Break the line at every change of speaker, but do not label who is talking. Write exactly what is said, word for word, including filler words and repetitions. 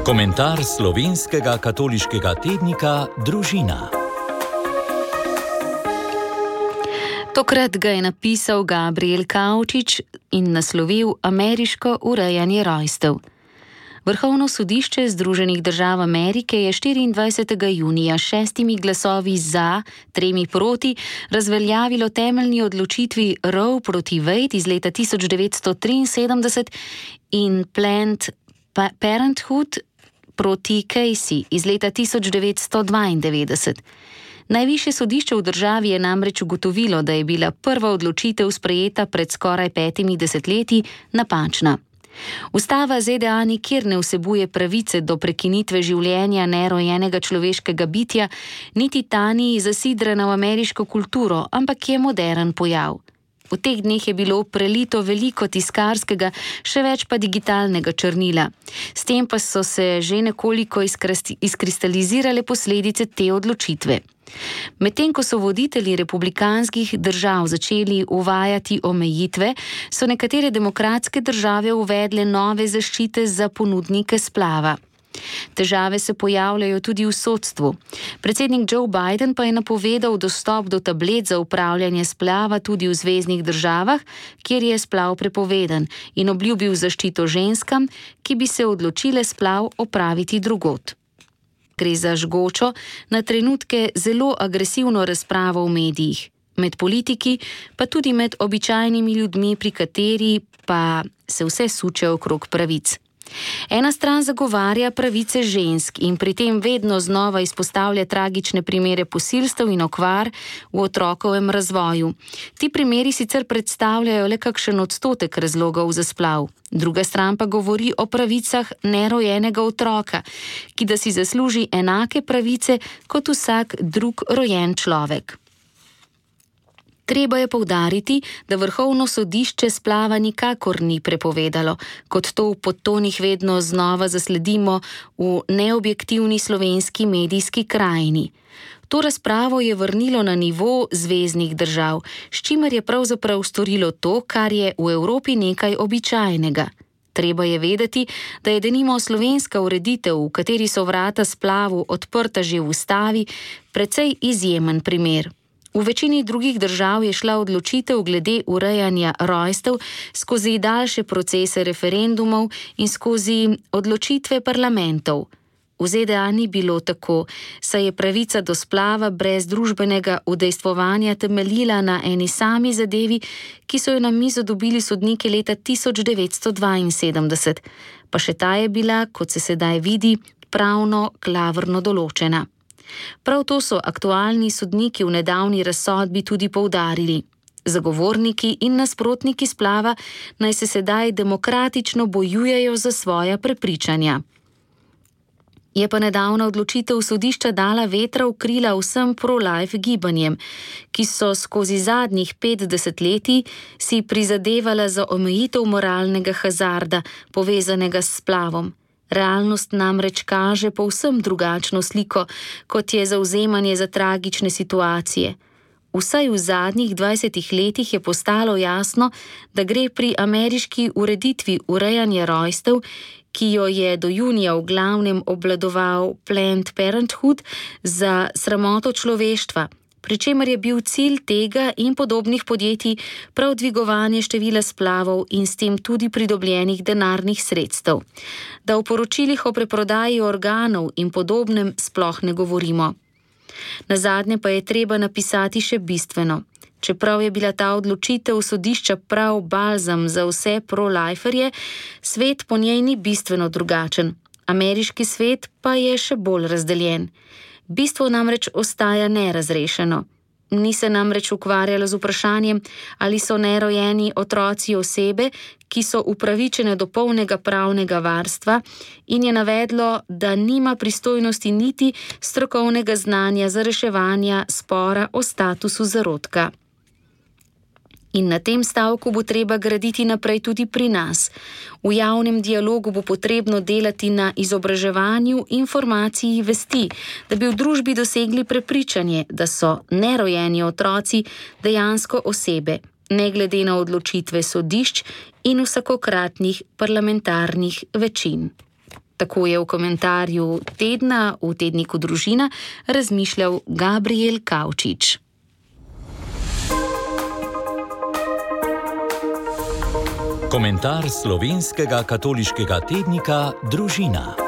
Komentar slovenskega katoliškega tednika Družina.
Tokrat ga je napisal Gabriel Kavčič in naslovil Ameriško urejanje rojstev. Vrhovno sodišče Združenih držav Amerike je štiriindvajsetega junija s šestimi glasovi za, tremi proti, razveljavilo temeljni odločitvi Roe proti Wade iz leta tisoč devetsto triinsedemdeset in Planned Parenthood proti Casey iz leta tisoč devetsto dvaindevetdeset. Najvišje sodišče v državi je namreč ugotovilo, da je bila prva odločitev sprejeta pred skoraj petimi desetletji napačna. Ustava Z D A nikjer ne vsebuje pravice do prekinitve življenja nerojenega človeškega bitja, niti ta ni zasidrana v ameriško kulturo, ampak je modern pojav. V teh dneh je bilo prelito veliko tiskarskega, še več pa digitalnega črnila. S tem pa so se že nekoliko izkristalizirale posledice te odločitve. Medtem ko so voditelji republikanskih držav začeli uvajati omejitve, so nekatere demokratske države uvedle nove zaščite za ponudnike splava. Težave se pojavljajo tudi v sodstvu. Predsednik Joe Biden pa je napovedal dostop do tablet za upravljanje splava tudi v zveznih državah, kjer je splav prepovedan, in obljubil zaščito ženskam, ki bi se odločile splav opraviti drugod. Gre za žgočo, na trenutke zelo agresivno razpravo v medijih, med politiki, pa tudi med običajnimi ljudmi, pri kateri pa se vse suče okrog pravic. Ena stran zagovarja pravice žensk in pri tem vedno znova izpostavlja tragične primere posilstev in okvar v otrokovem razvoju. Ti primeri sicer predstavljajo le kakšen odstotek razlogov za splav. Druga stran pa govori o pravicah nerojenega otroka, ki da si zasluži enake pravice kot vsak drug rojen človek. Treba je poudariti, da vrhovno sodišče splava nikakor ni prepovedalo, kot to v podtonih vedno znova zasledimo v neobjektivni slovenski medijski krajini. To razpravo je vrnilo na nivo zveznih držav, s čimer je pravzaprav storilo to, kar je v Evropi nekaj običajnega. Treba je vedeti, da je denimo slovenska ureditev, v kateri so vrata splavu odprta že v ustavi, precej izjemen primer. V večini drugih držav je šla odločitev glede urejanja rojstev skozi daljše procese referendumov in skozi odločitve parlamentov. V Z D A ni bilo tako, saj je pravica do splava brez družbenega udejstvovanja temeljila na eni sami zadevi, ki so jo na mizo dobili sodniki leta tisoč devetsto dvainsedemdeset, pa še ta je bila, kot se sedaj vidi, pravno klavrno določena. Prav to so aktualni sodniki v nedavni razsodbi tudi poudarili. Zagovorniki in nasprotniki splava naj se sedaj demokratično bojujejo za svoja prepričanja. Je pa nedavna odločitev sodišča dala vetra v krila vsem pro-life gibanjem, ki so skozi zadnjih pet desetletij si prizadevala za omejitev moralnega hazarda, povezanega s splavom. Realnost namreč kaže povsem drugačno sliko, kot je zavzemanje za tragične situacije. Vsaj v zadnjih dvajsetih letih je postalo jasno, da gre pri ameriški ureditvi urejanja rojstev, ki jo je do junija v glavnem obvladoval Planned Parenthood, za sramoto človeštva, pri čemer je bil cilj tega in podobnih podjetij prav dvigovanje števila splavov in s tem tudi pridobljenih denarnih sredstev. Da v poročilih o preprodaji organov in podobnem sploh ne govorimo. Nazadnje pa je treba napisati še bistveno. Čeprav je bila ta odločitev sodišča prav balzam za vse pro-liferje, svet po njej ni bistveno drugačen. Ameriški svet pa je še bolj razdeljen. Bistvo namreč ostaja nerazrešeno. Ni se namreč ukvarjalo z vprašanjem, ali so nerojeni otroci osebe, ki so upravičene do polnega pravnega varstva, in je navedlo, da nima pristojnosti niti strokovnega znanja za reševanje spora o statusu zarodka. In na tem stavku bo treba graditi naprej tudi pri nas. V javnem dialogu bo potrebno delati na izobraževanju informacij vesti, da bi v družbi dosegli prepričanje, da so nerojeni otroci dejansko osebe, ne glede na odločitve sodišč in vsakokratnih parlamentarnih večin. Tako je v komentarju tedna v tedniku Družina razmišljal Gabriel Kavčič.
Komentar slovenskega katoliškega tednika Družina.